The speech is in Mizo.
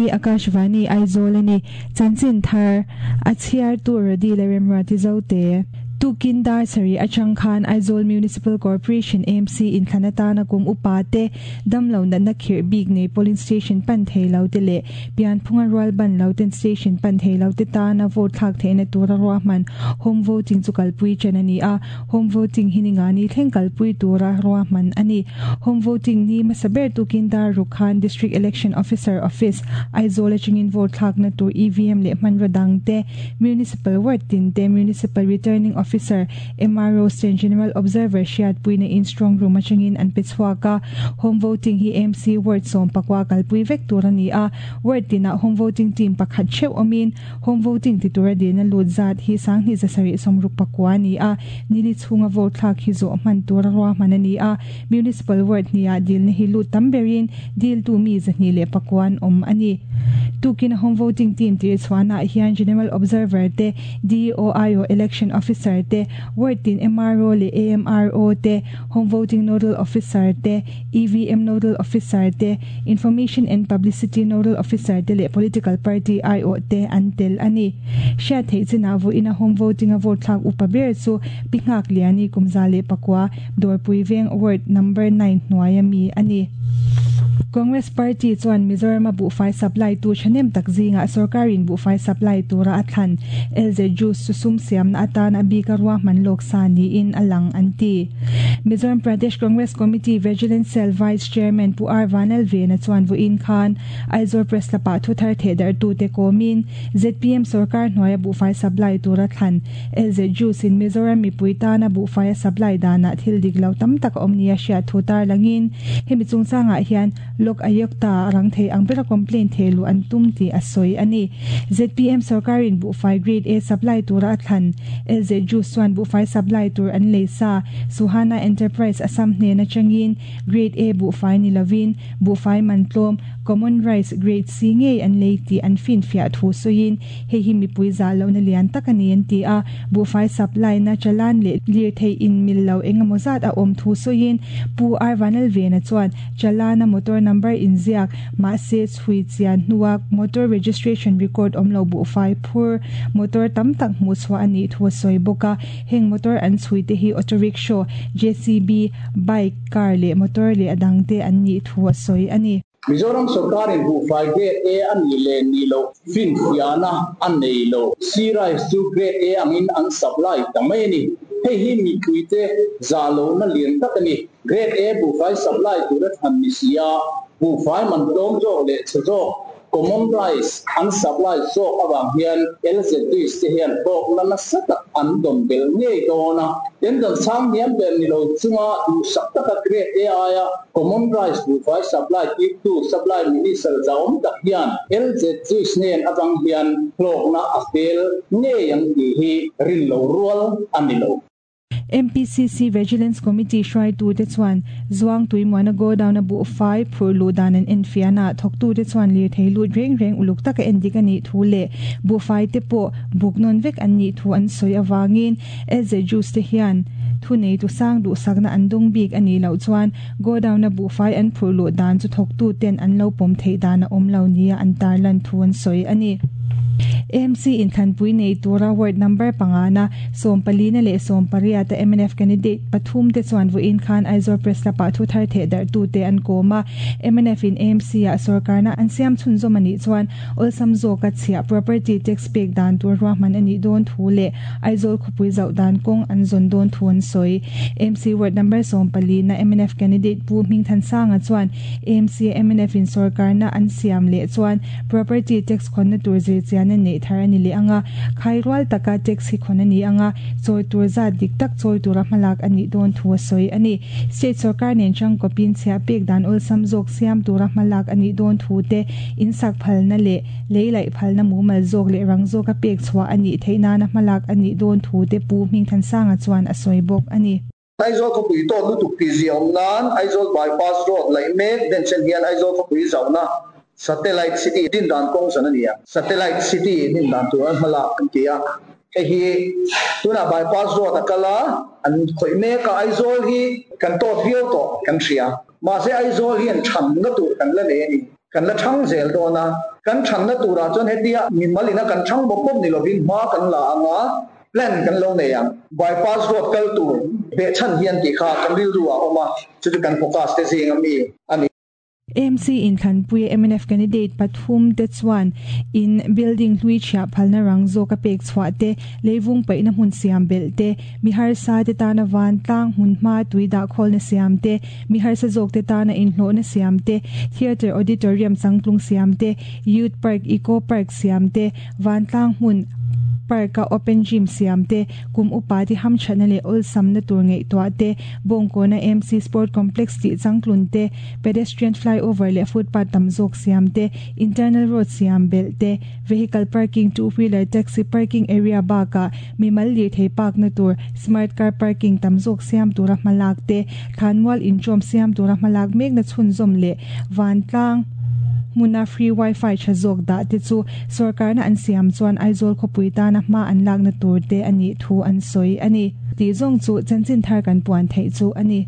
Hei hi Akashvani Aizawl a ni. Chanchin thar a chhiartu Rody leh Remruati Zote. Tukin dar sarih atang khan Aizawl Municipal Corporation, AMC, inthlan atana kum upa te, damlo natna khirh bik nei polling station pan thei lo te leh pianphunga rual ban lo ten station pan thei lo te tana vote thlak theihna tura ruahman home voting chu kalpui chen a ni a. Home voting hi ningani thleng kalpui tura ruahman a ni. Home voting ni hmasa ber tukin dar ruk khan District Election Officer Office, Aizawl atangin vote thlakna tur EVM leh hmanraw dang te, Municipal Ward tin te, Municipal Returning Officer, MRO, State General Observer hriatpuina in strong room atangin an pe chhuak a. Home voting hi MC Ward 14 kalpui vek tur a ni a. Ward tinah home voting team pakhat theuh awmin Home voting ti tura dilna lut zat hi 2769 a ni a, nili chhunga vote thlak hi zawh hman tura ruahman a ni a. Municipal ward hniah dilna hi lut tam berin diltu mi 209 an awm a ni. Tukin a home voting team tir chhuahnaah hian General Observer te, DEO-IO Election Officer te, ward tin MRO leh AMRO te, Home voting nodal officer te, EVM nodal officer te, Information and Publicity Nodal Officer te leh Political Party aiawh te an tel a ni. Hriat theih chinah vawiina home voting a vote thlak upa ber chu Pi Nghakliani kum 109, Dawrpui Veng Ward Number 9 hnuaia mi a ni. Congress Party chuan Mizoram a buhfai supply tu thahnem tak zingah sorkarin buhfai supply tura a thlan LZ Juice chu sum siamna atan a bika ruahman lawk sa niin a lang an ti. Mizoram Pradesh Congress Committee Vigilance Cell Vice Chairman Pu R Vanlalvena chuan vawiin khan Aizawl Press Club-ah thuthar thehdarhtute kawmin zpm sorkar hnuaia buhfai supply tura thlan LZ Juice-in Mizoram mipui tana buhfai a supply danah thil dik lo tam tak a awm nia hriat thu tarlangin hemi chungchangah hian Lok Ayukta rang thei ang bera complaint theh luh an tum tih a sawi a ni. Zpm sorkarin buhfai grade A supply tura a thlan LZ Juice chuan buhfai supply tur an lei sa. Suhana Enterprise Assam hnen atangin grade A buhfai ni lovin buhfai man tlawm common rice grade C ngei an lei tih an finfiah thu sawiin hei hi mipui zah lohna lian tak a ni an ti a. Buhfai supply na chalan leh lirthei inmil lo engemaw zat a awm thu sawiin Pu R Vanlalvena chuan Chalana motor number inziak, mahse chhui chian hnua motor registration record awm lo buhfai phur motor tam tak hmuh chhuah a nih thu a sawi bawk a. Heng motor an chhui te hi auto rickshaw, JCB, bike, car leh motor leh a dang te an nih thu a sawi a ni. Mizoram sorkarin buhfai Grade A a nih leh nih loh finfiahna a nei lo. Sea rice chu Grade A angin an supply ta mai a ni. Hei hi mipuite zah lohna lian tak a ni. Grade A buhfai supply tura thlan ni si a, buhfai man tlawm zawk leh chhe zawk, common rice, an supply zawk avang hian LZDs te hian hlawkna nasa tak an dawn belh ngei dawn a. Tendon sang hniam ber ni lo chunga duhsak taka Grade A aia common rice buhfai supply tirtu Supply Minister zahawm tak hian LZDs nen avang hian hlawkna a fel ngei ang tih hi rin lo rual a ni lo. MPCC Vigilance Committee hruaitute chuan Zuangtui Muana Godown-a buhfai phurh luh dan an enfiahna ah thawktute chuan lirthei lut reng reng uluk taka endik a nih thu leh buhfai te pawh buk nawn vek an nih thu an sawi avangin LZ Juice te hian thuneitu sang duhsakna an dawng bik a nih loh chuan Godown-a buhfai an phurh luh dan chu thawktuten an lo pawm theih dan a awm lo nia an tarlan thu an sawi a ni. AMC inthlanpui nei tura ward number pangana sawmpalina leh sawmpariata mnf candidate pathum te chuan vawiin khan Aizawl Press Club-ah thu thar theh darhtute an kawm a. Mnf in AMC-ah sorkarna an siam chhunzawm a nih chuan awlsam zawka chhiah property tax pek dan tur ruahman a nih dawn thu leh Aizawl khawpui zauh dan kawng an zawn dawn thu an sawi. AMC ward number 14 na mnf candidate Pu Hmingthansanga chuan AMC a mnf in sorkarna an siam leh chuan property tax khawnna tur zirchian a neih thar a ni leh ang a, khai rual taka tax hi khawn a ni ang a, chawi tur zat dik tak chawi tura hmalak a nih dawn thu a sawi a ni. State sorkar nen changkawpin chhiah pek dan awlsam zawk siam tura hmalak a nih dawn thu te, insak phalna leh lei laih phalna mumal zawk leh rang zawka pek chhuah a nih theih nana hmalak a nih dawn thu te Pu Hmingthansanga chuan a sawi bawk a ni. Aizawl khawpui tawt lutuk tih zia awm nan Aizawl bypass road laih mek denchen hian Aizawl khawpui zauhna Satellite City din dan kawng zan a ni a. Satellite City din dan tur an hmalak an ti a. Hei hi tunah bypass road a kal a, an khawih mek a, Aizawl hi kan tawt viau tawh kan hria. Mahse Aizawl hian thamna tur kan la nei a ni. Kan la ṭhang zel dawn a, kan ṭhanna turah chuan hetia mimal ina kan ṭhang bawk bawk ni lovin hma kan la ang a, plan kan lo nei ang. Bypass road kal tur behchhan hian tih kha kan rilru ah a awm a, chu chu kan focus te zing a mi a ni. AMC inthlanpuia mnf candidate pathum te chuan in building hlui chhiah phalna rang zawk a pek chhuah te, leivung paihna hmun siam belh te, mi harsa te tana vantlang hmunhma tui dahkhawlna siam te, mi harsa zawk te tana inhlawhna siam te, theatre auditorium changtlung siam te, youth park, eco park siam te, vantlang hmun park-a open gym siam te, kum upa te hamthatna leh awlsamna tur ngaihtuah te, Bawngkawna MC Sport Complex tih changtlun te, pedestrian flyover leh footpath tam zawk siam te, internal road siam belh te, vehicle parking, two wheeler taxi parking area bakah mimal lirthei parkna tur smart car parking tam zawk siam tura hmalak te, thlanmual inṭawm siam tura hmalak mekna chhunzawm leh vantlang hmuna free wifi tha zawk dah te chu sorkarna an siam chuan Aizawl khawpui tana hma an lakna tur te a nih thu an sawi a ni. Tih zawng chu chanchin thar kan puan theih chu a ni.